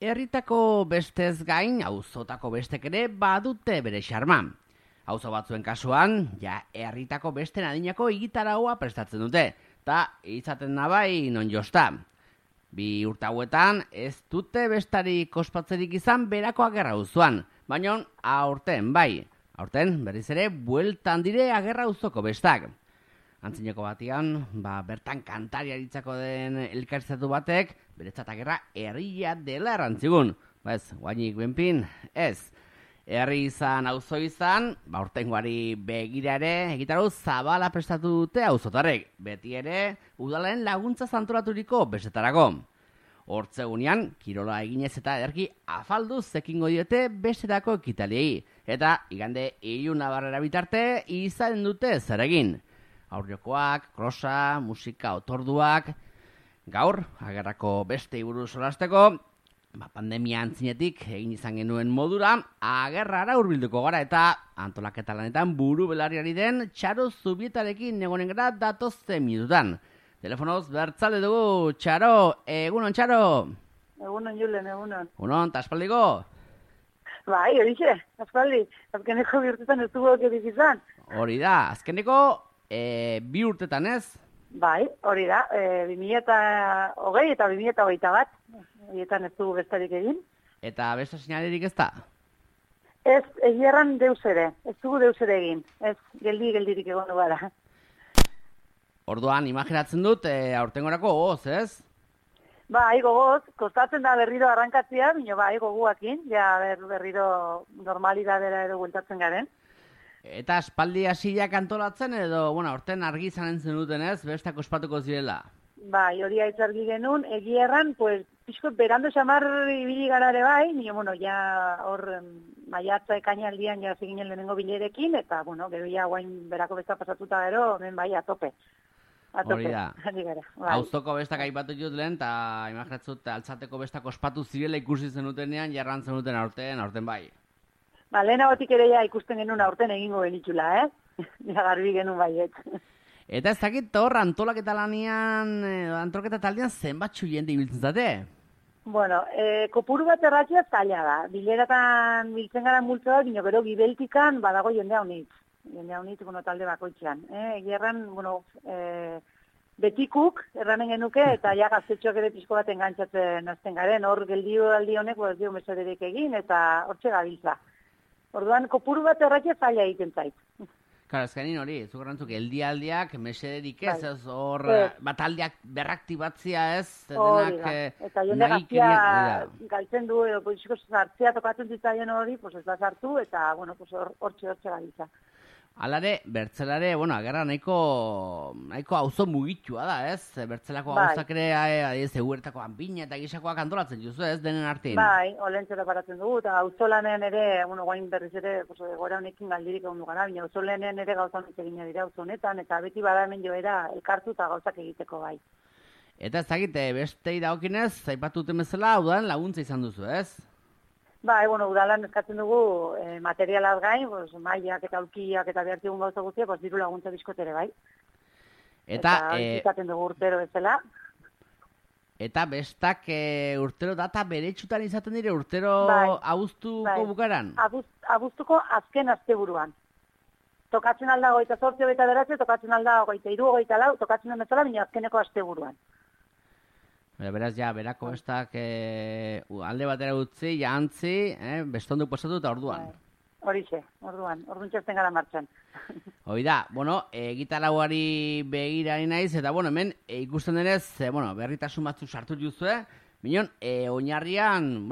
Herritako bestez gain, auzotako bestek ere badute bere xarma. Auzo batzuen kasuan, herritako besten adinako egitaraua prestatzen dute, eta izaten nabai non josta. 2 urte hauetan ez dute bestarik ospatzerik izan berako agerra auzoan, baina aurten bai. Aurten berriz ere bueltan dire agerra auzoko bestak. Antzineko batean, bertan kantariaritzako den elkarrizatu batek, beretzat agerra herria dela errantzigun. Ez, guainik benpin, ez. Herri izan, auzo izan, aurtengoari begira ere, egitarau zabala prestatu dute auzotarrek. Beti ere, udalen laguntza antolaturiko bestetarako. Hortzegunean, kirola eginez eta ederki afalduz ekingo diote bestetako ekitaliei. Eta, igande, Ilunabarrera bitarte, izan dute zer egin. Aurrekoak, krosa, musika, otorduak. Gaur, agerrako beste buruz solasteko, pandemia antzinetik egin izan genuen modura, agerrara hurbilduko gara eta antolaketa lanetan buru belarriari den Txaro Zubietarekin egonen gara datozte minutan. Telefonoz bertzale dugu, Txaro, egunon Txaro? Egunon Julen, egunon. Egunon, ta aspaldiko? Bai, horixe, aspaldi. Azkeneko 2 urtetan ez dugu okerik izan. Hori da, azkeneko 2 urtetan ez? Bai, hori da, 2020 eta 2021. Horietan ez dugu bestarik egin. Eta besta sinalerik ez da? Ez, egierran deus ere. Ez dugu deus ere egin. Ez, geldirik egon gara. Orduan, imaginatzen dut, aurtengorako gogoz, ez? Bai, gogoz, kostatzen da berriro arrankatzea, bino bai, goguakin, berriro normalidadera edo gueltatzen garen. Eta aspaldi hasiak antolatzen edo, aurten argi izanen zenuten ez, bestak ospatuko zirela? Bai, hori aitzargi genuen, egierran, pixko berando xamar ibili gara ere bai, hor maiatza ekainaldian zeginen lehenengo bilerekin, eta, gero guain berako besta pasatuta gero, hemen bai, atope. Hori da. Auzoko bestak aipatu jut lehen, eta imaginatzut altzateko bestak ospatu zirela ikusi zenutenean, jarran zenuten aurten bai. Lehenagotik ere ikusten genuen aurten egingo genitxula, garbi genuen baiet. Eta ez dakit hor antolaketa lanean, antolaketa taldean zenbatxu jende ibiltzen zate? Kopuru bat erratxea zaila da. Bileratan biltzen gara multzo bat, gero gibeltikan badago jende haunitz. Jende haunitz, talde bakoitzean. Egierran, betikuk erranen genuke, eta gaztetxoak ere pixko bat engantzatzen azten garen. Hor geldio aldi honek, ez dio mesederek egin, eta hortxe gabiltza. Orduan, kopuru bat erratxea zaila egiten zait. Karo, ezkainin hori, zugarrantzuk, eldialdiak, mesederik ez, hor bataldiak berraktibatzia ez, hori da, eta jende gaztia galtzen du, edo sartzea tokatzen zitzaien hori, ez da sartu, eta hortxe gabiltza. Alare, bertzelare, agerra nahiko auzo mugitua da, ez? Bertzelako auzak ere, eguertako anpina eta gisakoak antolatzen juzu, ez, denen artin? Bai, olentzera paratzen dugu, eta auzolanen ere, guain berriz ere, gora honekin galdirik egon dugara, baina auzolanen ere gauza honetan egina dira auzonetan, eta beti bada hemen joera elkartu eta gauzak egiteko bai. Eta ez dakit, bestei dagokinez, zaipatu duten bezala, udan laguntza izan duzu, ez? Bai, udalan eskatzen dugu materialaz gain, mailak eta aulkiak eta behartigun gauza guztiak, diru laguntza bizkotere, bai. Eta izaten dugu urtero bezala. Eta bestak urtero data beretsutan izaten dire, urtero abuztuko bukaran? Abuztuko azken asteburuan. Tokatzen alda 28 eta 9, tokatzen alda 23, 24, tokatzen den bezala, baina azkeneko asteburuan. Beraz, berako bestak alde batera utzi, jantzi, bestonduk pasatu eta orduan. Horixe, orduan txasten gara martxan. Hoi da, gitarauari begirari naiz, eta hemen ikusten denez, berritasun batzuk sartu juzue, minon, oinarrian,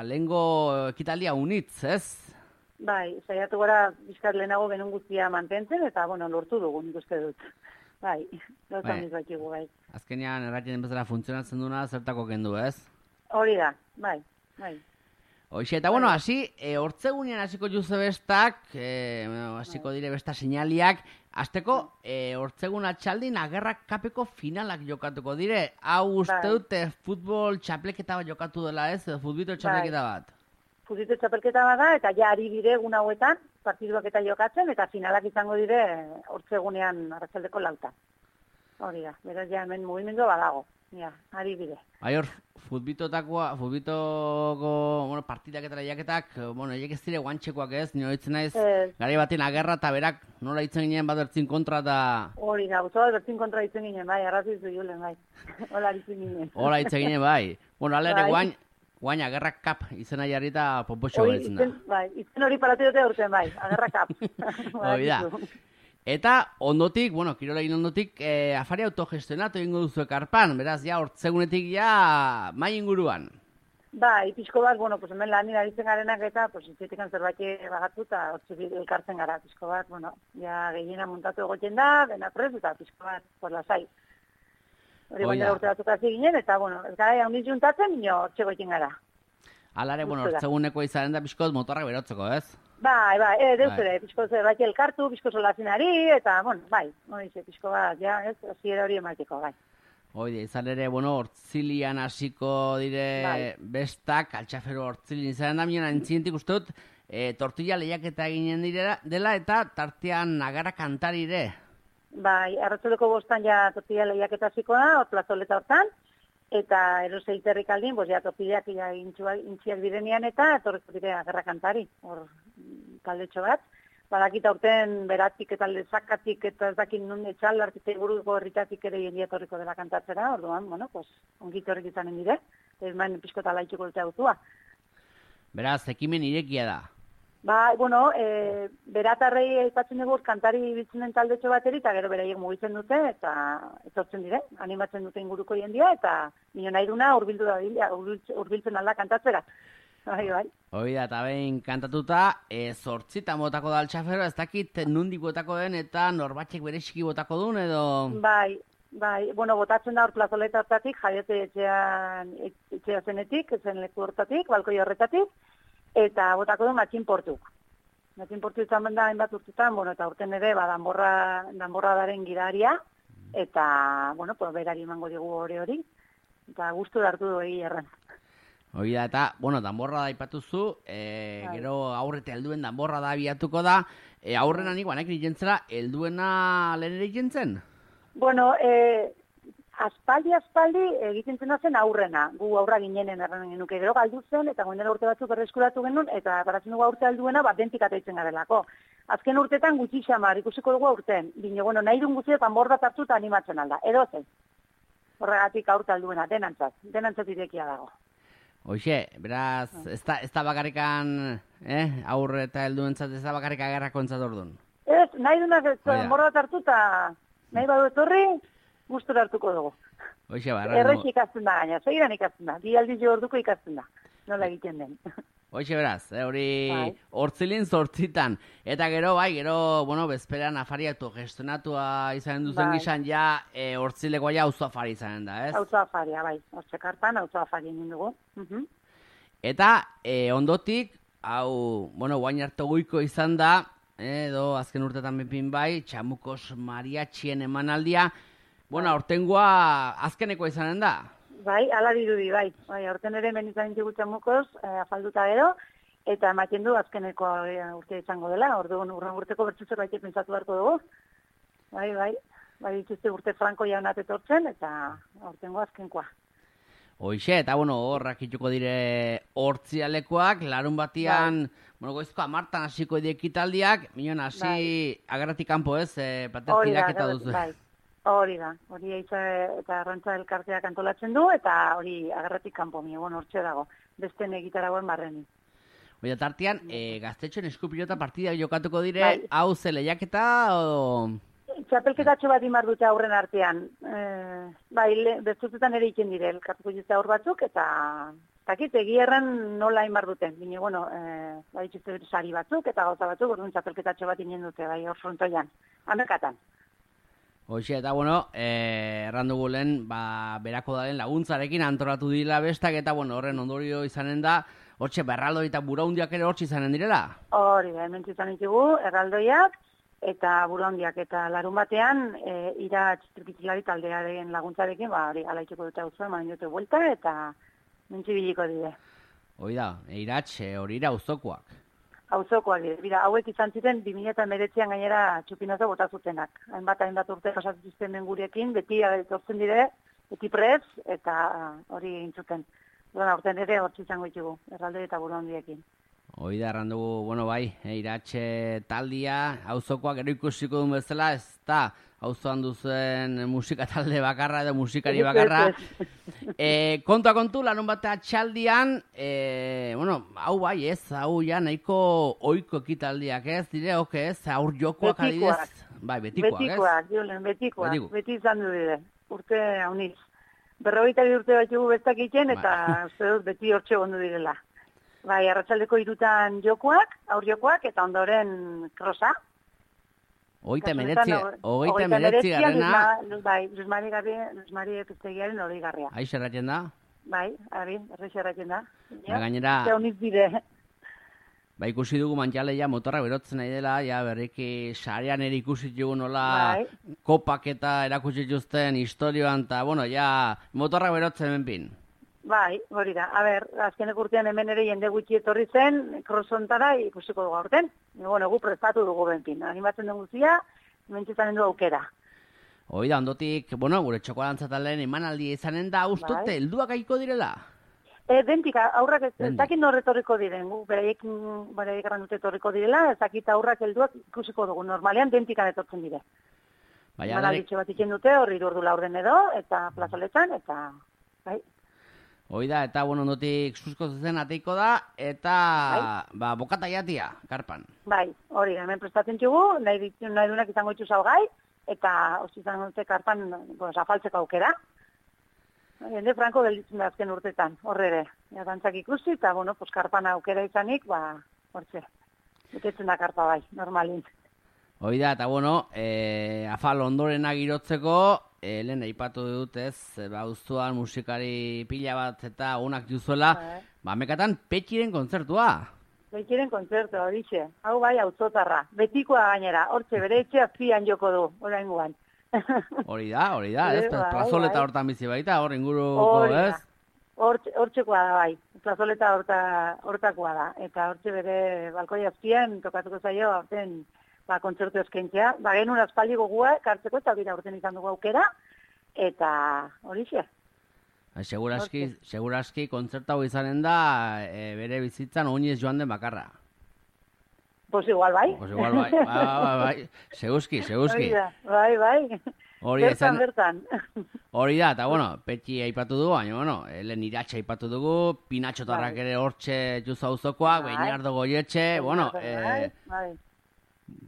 lehengo ekitaldia unitz, ez? Bai, saiatu gara bizkat lehenago genuen guztia mantentzen, eta lortu dugu nik uste dut. Bai, gauza honitz bakigu, bai. Azkenean, erratien bezala funtzionatzen duna, zertako kendu, ez? Hori da, bai. Hoxe, eta hasi, hortzegunean hasiko juze bestak, hasiko dire besta seinaliak, azteko, hortzegun atxaldin agerrak kapeko finalak jokatuko dire. Hau uste dute futbol txapleketa bat jokatu dela, ez? Futbito txapleketa bat. Futbito txapleketa bat da, eta ari dire egun hauetan, partiduak eta jokatzen, eta finalak izango dire hortzegunean arratsaldeko 4. Hori da, beraz hemen mugimendua badago. ja, ari bide. Bai hor, futbitoko, bueno, partidak eta lehiaketak, bueno, eiek ez dire guantxekoak ez, nio hitzen naiz, garai baten agerra eta berak nola hitzen ginen bat bertzin kontra eta... Hori da, guztua bertzin kontra hitzen ginen, bai, arrazizu julen, bai. Hola hitzen ginen. Hola hitzen ginen, bai. Bueno, alere guain agerra kap izena jarri eta popotxo gaitzen da. Bai, izen hori paratu dute urten, bai, agerra kap. Hori da. Eta ondotik, bueno, kirolegin ondotik, afari autogestionatu egingo duzu ekarpan, beraz, ja, hortzegunetik ja, mai inguruan. Bai, pixko bat, bueno, pues hemen lan aritzen garenak eta, pues, itxetikan zerbait bagatu eta hortzik elkartzen gara, pixko bat, bueno, ja, gehiena montatu egoten da, dena prez, eta pixko bat, por lasai. Hori bandera urte batzuk hasi ginen, eta, bueno, ez gara, handiz juntatzen, nio, hortxe goiten gara. Alare, bueno, hortzeguneko izaren da pixko motorrak berotzeko, ez? Bai, deuzere, pixko zerbait elkartu, pixko solazinari, eta, bueno, bai, pixko bat, ja, ez, hasiera hori emateko, bai. Oide, izan ere, bueno, hortzilian hasiko dire bestak, altxafero hortzilin izan da, miona entzientik uste dut, tortilla lehiaketa eginen dela, eta tartean agarra kantarire. Bai, arratzoleko bostan ja tortilla lehiaketa hasiko da, hor plazoleta hortan, eta eroseiterrik aldin, pues ja tortillak ja intziak direnean eta etorriko dire agerra kantari, hor taldetxo bat. Badakita urten beratik eta lezakatik eta ez dakit nun etxal artite buruko herritatik ere jendia etorriko dela kantatzera, orduan, bueno, pues ongit horrik izanen dire, ez maen pixkota laitxuko dute autua. Beraz, ekimen irekia da. Ba, bueno, beratarrei aipatzen dugu kantari bitzenen taldetxo bateri, eta gero beraiek mugitzen dute, eta etortzen dire, animatzen dute inguruko jendia, eta nio nahi duna urbiltzen alda kantatzera. Bai. Hoi da, eta behin kantatuta, zortzitan botako da altxafero, ez dakit nundik botako den, eta norbatxek bereziki botako duen, edo... Bai, bueno, botatzen da hor plazoleta hortatik, jaiote etxea zenetik, zen leku hortatik, balkoi horretatik, eta botako du Matxin Portuk. Matxin Portu izan benda hainbat urtetan, bueno, eta urten ere, danborra daren gidaria, eta, bueno, pues, berari emango digu hori, eta gustu hartu du egi erran. Hoi da, eta, bueno, danborra da ipatuzu, gero aurrete helduen danborra da abiatuko da, aurrena nik banek jentzela, helduena lehen ere jentzen? Bueno, aspaldi egiten zen aurrena, gu aurra ginenen erranen genuke, gero galdu zen, eta goindela urte batzuk erreskuratu genuen, eta baratzen dugu aurte alduena, dentik ataitzen garelako. Azken urtetan gutxi xamar, ikusiko dugu aurten, bine, bueno, nahi duen guztietan borda hartu eta animatzen alda, edo zen. Horregatik aurte alduena, denantzat irekia dago. Hoxe, beraz, ez da bakarrikan, aurre eta helduentzat, ez da bakarrik agerrako entzat orduan. Ez, nahi duenak borda hartu eta nahi badu etorri, gustura hartuko dugu. Hoxe, Errez ikasten da gaina, segiran ikasten da, bi aldiz jo orduko ikasten da, nola egiten den. Hoxe, beraz, hori hortzilin zortzitan. Eta gero, bueno, bezperan afari autogestionatua izanen duzen gizan, ja, hortzilekoa ja auzo afari izanen da, ez? Auzo afaria, bai, hortzekartan auzo afari egin dugu. Eta, ondotik, hau, bueno, guain harto goiko izan da, edo azken urtetan bepin bai, Txamukos mariatxien emanaldia, bueno, aurtengoa azkenekoa izanen da. Bai, ala dirudi, bai. Aurten ere hemen izan ditugu Txamukos, afalduta gero, eta ematen du azkeneko urte izango dela, orduan urren urteko bertzu zerbait pentsatu beharko dugu. Bai, dituzte urte franko jaunat etortzen, eta aurtengo azkenkoa. Hoixe, eta bueno, horrak ituko dire hortzialekoak, larun batian, bueno, goizko 10 hasiko ekitaldiak, minon hasi agarratik kanpo ez, platerkirak eta duzu. Hori da, hori eta arrantza elkarteak antolatzen du, eta hori agarratik kanpo, hortxe dago, besten egitaragoen barreni. Oida, tartean, gaztetxoen eskupilota partida jokatuko dire, hau ze lehiaketa, o... Txapelketatxo bat imar dute aurren artean. Bestutetan ere iken dire, elkartuko juzte aur batzuk, eta takit, egierran nola imar duten. Bine, bueno, dituzte sari batzuk, eta gauza batzuk, orduan txapelketatxo bat inen dute, hor frontoian, amekatan. Hoxe, eta bueno, errandugu lehen, berako daren laguntzarekin antolatu dila bestak, eta bueno, horren ondorio izanen da, hortxe, berraldoi eta buraundiak ere hortxe izanen direla? Hori da, hemen izan ditugu, erraldoiak, eta buraundiak, eta larun batean, ira txitrikitxilari taldearen laguntzarekin, hori alaitxeko dute hau zuen, manen dute buelta, eta mentxibiliko dire. Hoi da, hori ira auzokoak. Auzokoak dira, hauek izan ziren 2019an gainera txupinazo bota zutenak. Hainbat urte pasatu zuten gurekin, beti etortzen dire, beti prez, eta hori egin zuten. Duan, aurten ere hortzi izango ditugu, erralde eta buru handiekin. Hoi da, erran dugu, bueno, bai, iratxe taldia, auzokoak gero ikusiko duen bezala, ez da, auzoan duzen musika talde bakarra edo musikari bakarra. Kontua kontu, larun batea txaldian, bueno, hau bai ez, hau ja nahiko oiko ekitaldiak ez, dire, oke ez, aur jokoak adidez. Bai, betikoak ez? Betikoak, Julen, betikoak, beti izan du dire, urte hauniz. 40 urte bat jugu bestak egiten, eta uste dut beti hortxe gondu direla. Bai, arratsaldeko 3 jokoak, aur jokoak, eta ondoren krosa. Hogeita emeretzi garrena. Bai, Luis Mari Epiztegiaren 20 garria. Aiz erratzen da? Bai, errez erratzen da. Gainera, ikusi dugu Mantxaleia motorra berotzen nahi dela, ja berriki sarean ere ikusi dugu nola kopak eta erakutsi dituzten historioan, eta bueno, ja motorra berotzen benpin. Bai, hori da. A ber, azkenek urtean hemen ere jende gutxi etorri zen, krossontara ikusiko dugu aurten. Bueno, gu prestatu dugu benpin. Animatzen dugu zia, mentxetan du aukera. Hoi da, ondotik, bueno, gure txokolantzatalaren emanaldia izanen da, ustute, helduak aiko direla? Dentik, aurrak ez dakit norretorriko diren, gu beraiek erran dute etorriko direla, ez dakit aurrak helduak ikusiko dugu, normalean dentikan etortzen dire. Emanalditxo bat iken dute, horri durdu laurden edo, eta plazoletan, eta bai. Hoi da, eta bueno, ondotik susko zuzen ateiko da, eta bokata jatia, karpan. Bai, hori da, hemen prestatzen txugu, nahi duenak izango itxu salgai, eta osi izango dute karpan afaltzeko aukera. Jende franko gelditzen da azken urtetan, horre ere. Dantzak ikusi, eta bueno, karpan aukera izanik, hortze, betetzen da karpa bai, normalin. Hoi da, eta bueno, afal ondorena girotzeko, lehen aipatu dut ez, uztuan musikari pila bat eta unak duzuela, mekatan Petxiren kontzertua. Petxiren kontzertua, horixe. Hau bai, auzotarra. Betikoa gainera, hortxe bere etxe azpian joko du, oraingoan. Hori da, ez, plazoleta hortan bizi baita, hor inguruko, ez? Hortxekoa da bai, plazoleta hortakoa da, eta hortxe bere balkoi azpian tokatuko zaio, horten kontzertu eskaintzea. Genuen aspaldi gogua, kartzeko, eta bira urten izan dugu aukera, eta horixe. Segurazki kontzertu hau izanen da, bere bizitzan oinez joan den bakarra. Pues igual bai. Bai. Seguski. Bai. Bertan. Hori da, eta bueno, Petxi aipatu dugu, baina bueno, Helen Iratxe aipatu dugu, Pinatxotarrak ere hortxe juza auzokoak, Beinardo Goietxe, bueno,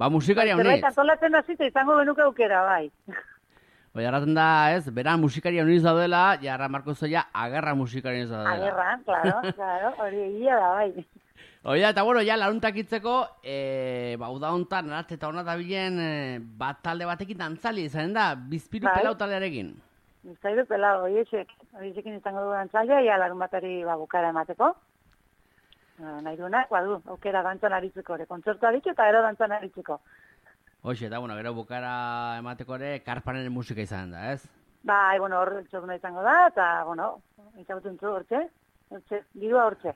musikaria honiz. Zerbait antolatzen hasita izango genuke aukera, bai. Hoi, arraten da, ez, beran musikaria honiz daudela, jarra Marko Zoia, agerra musikaria honiz daudela. Agerra, claro, hori egia da, bai. Hoi da, eta bueno, ja, laruntak itzeko, uda hontan, narate eta honat abilen, bat talde batekin dantzali izanen da, Bizpiru Pelau taldearekin. Bizpiru Pelau, horiekin izango du dantzaldia, ja, larun batari bukara emateko. Nahi duenak, badu, aukera dantzan aritzeko, kontzertua ditu eta ero dantzan aritzeko. Hoxe, eta bueno, gero bukara emateko ere, karpanen musika izanen da, ez? Bai, bueno, hor txokuna izango da, eta, bueno, izaguten zu hortxe, dirua hortxe.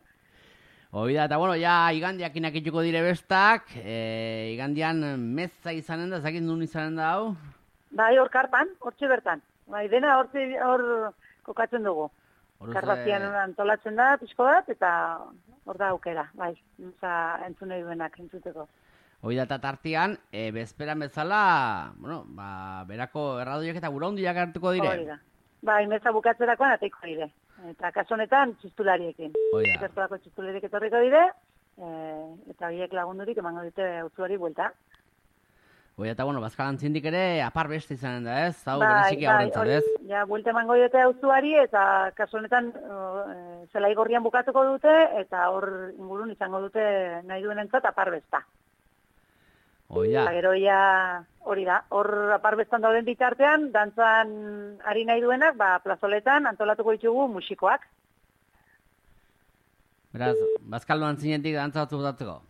Hoi da, eta bueno, ja, igandiak inakituko dire bestak, igandian meza izanen da, zakit nun izanen da, hau? Bai, hor karpan, hortxe bertan. Bai, dena hor kokatzen dugu. Karpazian antolatzen da, pixko bat, eta hor da aukera, bai, entzunei duenak entzuteko. Hoi da, eta tartian, bezperan bezala, bueno, berako erradoiak eta gura hundiak hartuko dire. Hori da. Bai, meza bukatzerakoan ateiko dire. Eta kasonetan txistulariekin. Zertuako txistulariek etorriko dire, eta horiek lagundurik emango dute auzuari buelta. Hoi, eta bueno, Bazkalan zindik ere apar beste izanen da, ez? Hau bereziki aurrentzat, ez? Ja, buelta emango dute auzuari, eta kasonetan zelai gorrian bukatuko dute, eta hor ingurun izango dute nahi duen entzat apar besta. Oia. Gero hori da, hor aparbestan dauden bitartean, dantzan ari nahi duenak, plazoletan antolatuko ditugu musikoak. Beraz, Bazkaldoan zinetik dantza batzu botatzeko?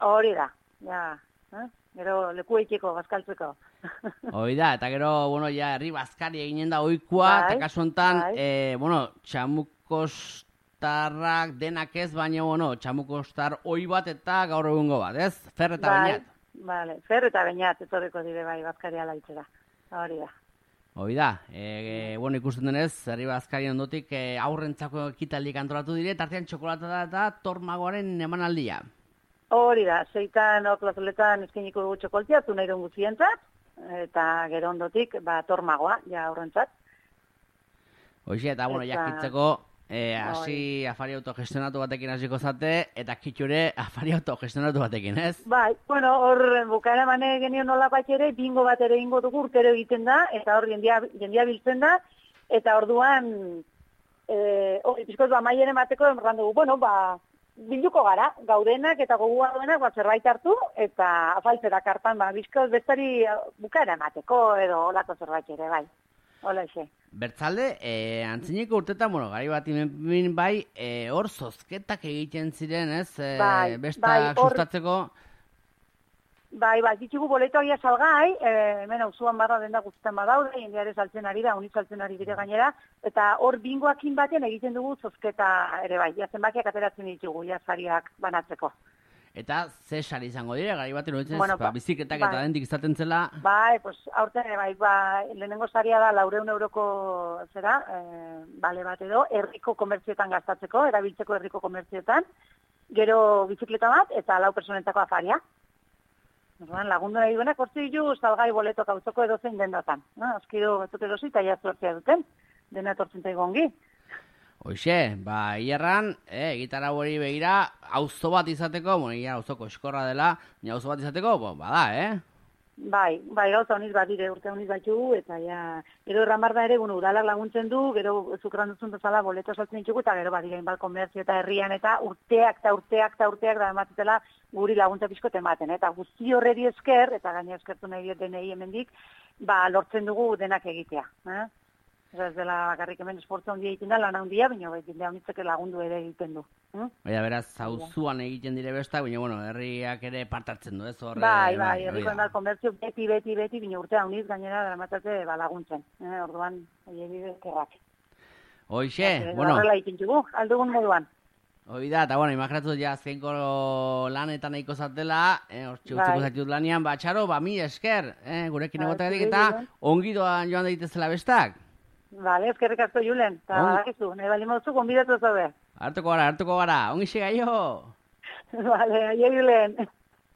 Hori da, gero leku eiteko, bazkaltzeko. Hori da, eta gero, bueno, herri bazkari eginen da oikoa, eta kasu honetan, txamukostarrak denak ez, baina, bueno, txamukostar oi bat eta gaur egungo bat, ez? Fer eta bainat. Vale, Fer eta Beñat etorriko dire bai bazkaria laitzera. Hori da. Hoi da, bueno, ikusten denez, herri bazkari ondotik aurrentzako ekitaldik antolatu dire, tartean txokolata eta tormagoaren emanaldia. Hori da, 6 hor plazoletan eskainiko dugu txokoltia, nahi duen guztientzat, eta gero ondotik, tormagoa, ja aurrentzat. Hoxe, eta bueno, jakitzeko, hasi afari autogestionatu batekin hasiko zate, eta kitxure afari autogestionatu batekin, ez? Bai, bueno, hor bukaera mane genio nola bat ere, bingo bat ere ingo dugu urtero egiten da, eta hor jendia biltzen da, eta orduan, hori, pizkoz, maieren bateko emran dugu, bueno, bilduko gara, gaudenak eta gogua duenak zerbait hartu, eta afaltzera kartan, bizkoz, bestari bukaera emateko, edo olako zerbait ere, bai. Hola, xe. Bertzalde, antzineko urtetan, bueno, gari bat bai, hor zozketak egiten ziren, ez? Bestak sustatzeko. Bai, ditugu boletoak ja salgai, hemen auzuan barra denda guztetan badaude, jendeare saltzen ari da, unit saltzen ari dire gainera, eta hor bingoakin baten egiten dugu zozketa ere bai, ja zenbakiak ateratzen ditugu, ja sariak banatzeko. Eta ze sari izango dire, gari baten horitzen biziketak eta dentik izaten zela? Bai, aurten, lehenengo saria da 400 euroko zera, bale bat edo, herriko komertzioetan gastatzeko, erabiltzeko herriko komertzioetan, gero bizikleta bat, eta 4 personentako afaria. Lagundu nahi duenak, hortzi ditu salgai boletok auzoko edozein dendatan. Azkido batzuk edozi eta jaztuartzea duten, dena etortzen zaigu ongi. Hoxe, hierran, gitarra hori begira, auzo bat izateko, auzoko eskorra dela, auzo bat izateko, bada, Bai, gauza honiz bat dire, urte honiz batxugu, eta gero erramar da ere, udalak laguntzen du, gero zukran duzun bezala boleto saltzen ditugu, eta gero badira inbal komertzio eta herrian, eta urteak da ematetela guri laguntza pixko tematen, eta guzti horreri esker, eta gaina eskertu nahi diot denei hemendik, lortzen dugu denak egitea. Ez dela bakarrik hemen esportza handia egiten da, lan handia, baina jendea honitzeke lagundu ere egiten du. Beraz, auzuan egiten dire bestak, baina, bueno, herriak ere partartzen du, ez? Bai, herriko enbal komertzio beti, baina urtea honiz gainera dramatate laguntzen. Orduan, bide eskerrak. Hoxe, bueno. Horrela egiten dugu, aldugun moduan. Hoi da, eta bueno, imaginatu ja azkenko lanetan nahiko zatela, hortxe utziko zaitut lanian, txaro, mi esker, gurekin egotagatik eta ongidoan joan daitezela bestak. Vale, eskerrik asko Julen, eta bakizu, nahi bali mauzu, gonbidatu zabe. Hartuko gara, ongi xe gaio. Vale, aio Julen.